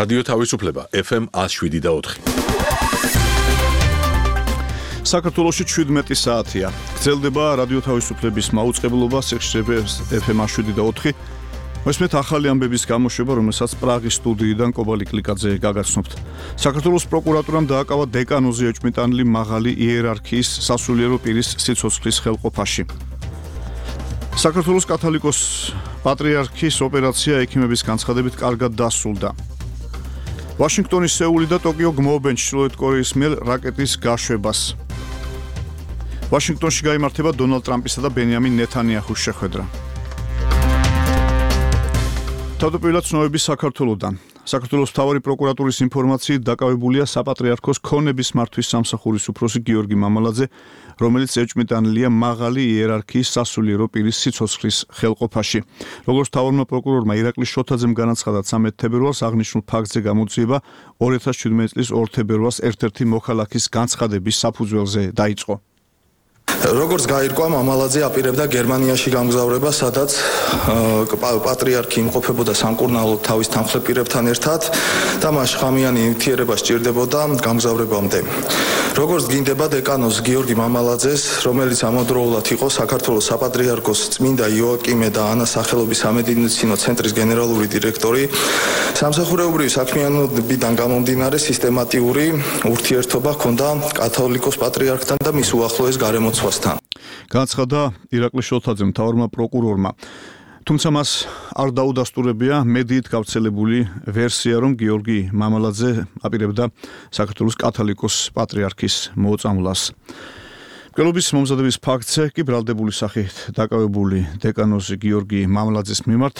რადიო თავისუფლება FM 107.4. საქართველოში 17 საათია. გრძელდება რადიო თავისუფლების მაუწყებლობა სიხშირე FM 107.4. მოსმეთ ახალი ამბების გამოშვება, რომელსაც პრაღის სტუდიიდან კობალი კლიკაძე გაგაცნობთ. საქართველოს პროკურატურამ დააკავა დეკანოზე ეჭვმიტანილი მაღალი იერარქიის სასულიერო პირის სიცოცხლის ხელყოფაში. საქართველოს კათოლიკოს პატრიარქის ოპერაცია ექიმების განცხადებით კარგად დასრულდა. ვაშინგტონის, სეული და ტოკიო გმობენ ჩრდილოეთ კორეის მიერ რაკეტის გაშვებას. ვაშინგტონში გაიმართება დონალდ ტრამპისა და ბენიამინ ნეთანიაჰუს შეხვედრა. თავდაპირველად ცნობები საქართველოდან. საქართველოს მთავარი პროკურატურის ინფორმაციით დაკავებულია საპატრიარქოს ქონების მართვის სამსახურის უფროსი გიორგი მამალაძე, რომელიც ეჭვმიტანილია მაღალი იერარქიის სასულიერო პირის სიცოცხლის ხელყოფაში. როგორც მთავარმა პროკურორმა ირაკლი შოთაძემ განაცხადა 13 თებერვალს აღნიშნულ ფაქტზე გამოძიება 2017 წლის 2 თებერვალს ერთ-ერთი მოქალაქის განცხადების საფუძველზე დაიწყო. როგორც გაირკვა, მამალაძე აპირებდა გერმანიაში გამგზავრება, სადაც პატრიარქი იმყოფებოდა სამკურნალოდ თავის თანხმდელ პირებთან ერთად და მას ხამიანი ნივთიერება სჭირდებოდა გამგზავრებამდე. როგორც გინდება დეკანოს გიორგი მამალაძეს, რომელიც ამავდროულად იყო საქართველოს საპატრიარქოს წმინდა იოაკიმე და ანა სახელობის სამედიცინო ცენტრის გენერალური დირექტორი, სამსახურეობრივი საქმიანობიდან გამომდინარე სისტემატიური ურთიერთობა ჰქონდა კათოლიკოს პატრიარქთან და მის უახლოეს გარემოცვასთან. განაცხადა ირაკლი შოთაძემ, მთავარმა პროკურორმა. თუმცა მას არ დაუდასტურებია მედიით გავრცელებული ვერსია, რომ გიორგი მამალაძე აპირებდა საქართველოს კათოლიკოს პატრიარქის მოწამვლას. მკვლელობის მომზადების ფაქტზე კი ბრალდებული სახით დაკავებული დეკანოზი გიორგი მამალაძის მიმართ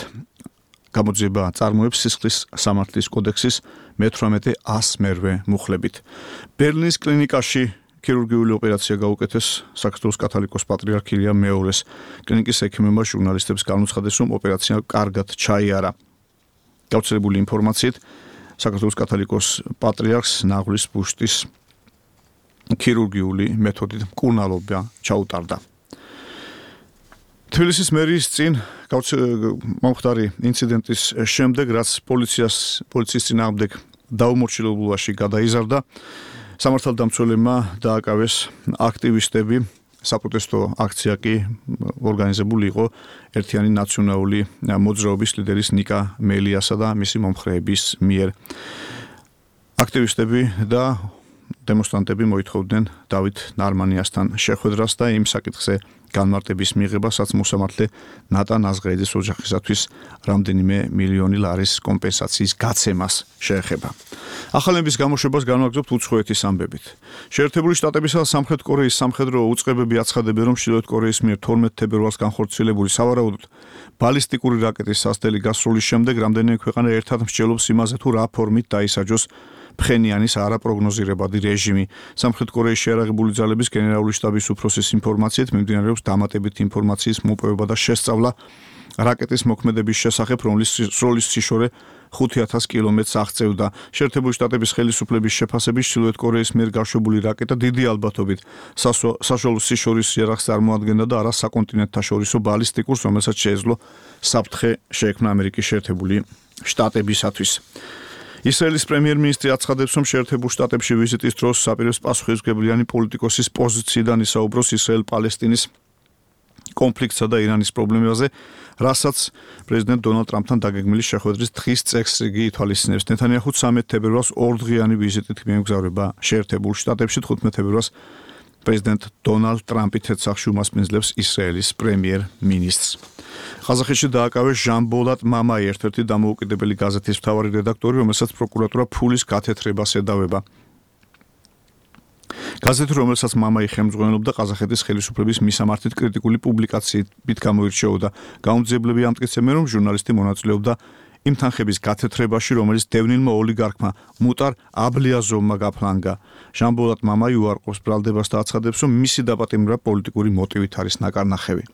გამოძიება წარმოებს სისხლის სამართლის კოდექსის მე-18-100 მუხლებით. ბერლინის კლინიკაში ქირურგიული ოპერაცია გაუკეთეს საქართველოს კათოლიკოს პატრიარქ ილია მეორეს. კლინიკის ექიმებმა ჟურნალისტებს განუცხადეს, რომ ოპერაცია კარგად ჩაიარა. გავრცელებული ინფორმაციით, საქართველოს კათოლიკოს პატრიარქს ნაღლის ბუშტის ქირურგიული მეთოდით მკურნალობა ჩაუტარდა. თბილისის მერიის წინ მომხდარი ინციდენტის შემდეგ, რაც პოლიციის წინააღმდეგ დაუმორჩილებულობაში გადაიზარდა, სამართალდამცველებმა დააკავეს აქტივისტები. საპროტესტო აქცია კი ორგანიზებული იყო ერთიანი ნაციონალური მოძრაობის ლიდერის ნიკა მელიასა და მისი მომხრეების მიერ. აქტივისტები და დემონსტრანტები მოითხოვდნენ დავით ნარმანიასთან შეხვედრას და იმ საკითხზე განმარტების მიღებასაც მოსამართლე ნატან აზღეიძის ოჯახისათვის რამდენიმე მილიონი ლარის კომპენსაციის გაცემას შეეხება. ახალების გამოშვებას განვაგრძობთ უცხოეთის ამბებით. შეერთებული შტატებისა და სამხრეთ კორეის სამხედრო უწყებები აცხადებენ, რომ ჩრდილოეთ კორეის მიერ 12 თებერვალს განხორციელებული სავარაუდოდ ბალისტიკური რაკეტის სასტელი გასროლის შემდეგ რამდენიმე ქვეყანა ერთად მსჯელობს იმაზე, თუ რა ფორმით დაისაჯოს ფხენიანის არაპროგნოზირებადი რეჟიმი. სამხრეთ კორეის შეიარაღებული ძალების გენერალური შტაბის უფროსის ინფორმაციით მიმდინარეობს დამატებითი ინფორმაციის მოპოვება და შესწავლა რაკეტის მოქმედების შესახებ, რომლის სროლის სიშორე 5000 კილომეტრს აღწევდა. შეერთებული შტატების ხელისუფლების შეფასებით ჩრდილოეთ კორეის მიერ გაშვებული რაკეტა დიდი ალბათობით საშუალო სიშორის იარაღს წარმოადგენდა და არა საკონტინენტთაშორისო ბალისტიკურს, რომელსაც შეეძლო საფრთხე შეექმნა ამერიკის შეერთებული შტატებისათვის. ისრაელის პრემიერ-მინისტრი აცხადებს, რომ შეერთებულ შტატებში ვიზიტის დროს საპირეს პასუხისმგებლიანი პოლიტიკოსის პოზიციიდან ისაუბროს ისრაელ-პალესტინის კონფლიქტსა და ირანის პრობლემაზე, რასაც პრეზიდენტ დონალდ ტრამპთან დაგეგმილი შეხვედრის დღის წესრიგი ითვალისწინებს. ნეთანიაჰუ 13 თებერვალს 2 დღიანი ვიზიტით მიემგზავრება შეერთებულ შტატებში, 15 თებერვალს პრეზიდენტ დონალდ ტრამპი თეთრ-სახლში უმასპინძლებს ისრაელის პრემიერ-მინისტრს. ყაზახეთში დააკავეს ჟან-ბოლატ მამაი, ერთ-ერთი დამოუკიდებელი გაზეთის მთავარი რედაქტორი, რომელსაც პროკურატურა ფულის გათეთრებას ედავება. გაზეთი, რომელსაც მამაი ხელმძღვანელობდა, ყაზახეთის ხელისუფლების მისამართით კრიტიკული პუბლიკაციით გამოირჩეოდა. გამოძიებლები ამტკიცებენ, რომ ჟურნალისტი მონაწილეობდა იმ თანხების გათეთრებაში, რომელიც დევნილმა ოლიგარქმა მუტარ აბლიაზოვმა გაფლანგა. ჟან-ბოლატ მამაი უარყოფს ბრალდებას და აცხადებს, რომ მისი დაპატიმრება პოლიტიკური მოტივით არის ნაკარნახევი.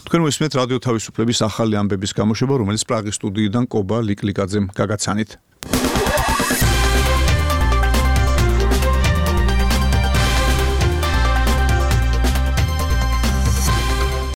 თქვენ მოსმენთ რადიო თავისუფლების ახალი ამბების გამოშვება, რომელიც პრაღის სტუდიიდან კობა ლიკლიკაძემ გაგაცანით.